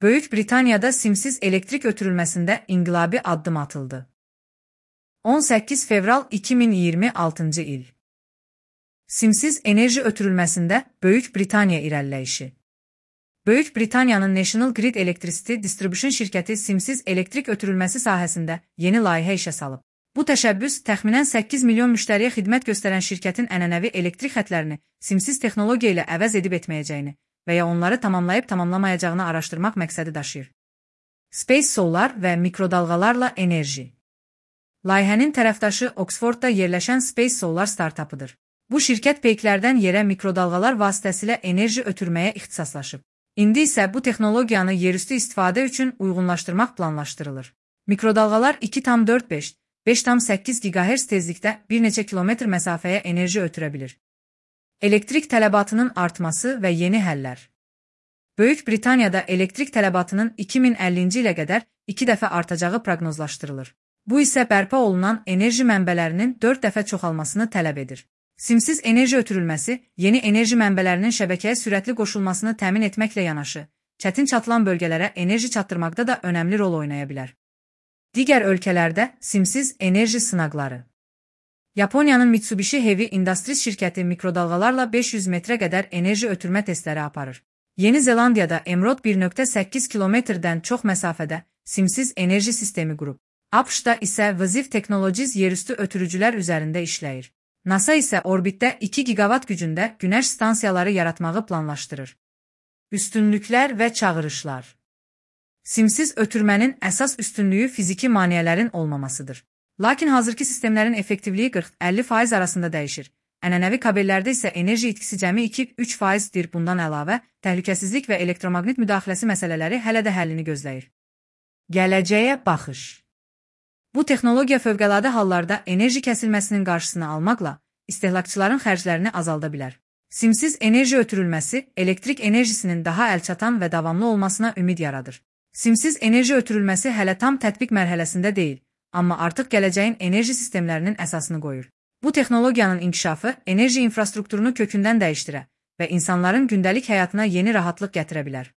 Böyük Britaniyada simsiz elektrik ötürülməsində inqilabi addım atıldı. 18 fevral 2026 il. Simsiz enerji ötürülməsində Böyük Britaniya irəliləyişi. Böyük Britaniyanın National Grid Electricity Distribution şirkəti simsiz elektrik ötürülməsi sahəsində yeni layihə işə salıb. Bu təşəbbüs təxminən 8 milyon müştəriyə xidmət göstərən şirkətin ənənəvi elektrik xətlərini simsiz texnologiya ilə əvəz edib etməyəcəyini və ya onları tamamlayıb tamamlamayacağını araşdırmaq məqsədi daşıyır. Space Solar və mikrodalğalarla enerji. Layihənin tərəfdaşı Oxfordda yerləşən Space Solar startapıdır. Bu şirkət peyklərdən yerə mikrodalğalar vasitəsilə enerji ötürməyə ixtisaslaşıb. İndi isə bu texnologiyanı yerüstü istifadə üçün uyğunlaşdırmaq planlaşdırılır. Mikrodalğalar 2,45-5,8 GHz tezlikdə bir neçə kilometr məsafəyə enerji ötürə bilir. Elektrik tələbatının artması və yeni həllər. Böyük Britaniyada elektrik tələbatının 2050-ci ilə qədər 2 dəfə artacağı proqnozlaşdırılır. Bu isə bərpa olunan enerji mənbələrinin 4 dəfə çoxalmasını tələb edir. Simsiz enerji ötürülməsi, yeni enerji mənbələrinin şəbəkəyə sürətli qoşulmasını təmin etməklə yanaşı, çətin çatılan bölgələrə enerji çatdırmaqda da önəmli rol oynaya bilər. Digər ölkələrdə simsiz enerji sınaqları. Yaponiyanın Mitsubishi Heavy Industries şirkəti mikrodalğalarla 500 metrə qədər enerji ötürmə testləri aparır. Yeni Zelandiyada Emerald 1,8 kilometrdən çox məsafədə simsiz enerji sistemi qurub. ABŞ-da isə Viziv Technologies yerüstü ötürücülər üzərində işləyir. NASA isə orbitdə 2 gigavat gücündə günəş stansiyaları yaratmağı planlaşdırır. Üstünlüklər və çağırışlar. Simsiz ötürmənin əsas üstünlüyü fiziki maneələrin olmamasıdır. Lakin hazırki sistemlərin effektivliyi 40-50% arasında dəyişir. Ənənəvi kabellərdə isə enerji itkisi cəmi 2-3%dir. Bundan əlavə, təhlükəsizlik və elektromaqnit müdaxiləsi məsələləri hələ də həllini gözləyir. Gələcəyə baxış. Bu texnologiya fövqəladə hallarda enerji kəsilməsinin qarşısını almaqla istehlakçıların xərclərini azalda bilər. Simsiz enerji ötürülməsi elektrik enerjisinin daha əlçatan və davamlı olmasına ümid yaradır. Simsiz enerji ötürülməsi hələ tam tətbiq mərhələsində deyil, amma artıq gələcəyin enerji sistemlərinin əsasını qoyur. Bu texnologiyanın inkişafı enerji infrastrukturunu kökündən dəyişdirə və insanların gündəlik həyatına yeni rahatlıq gətirə bilər.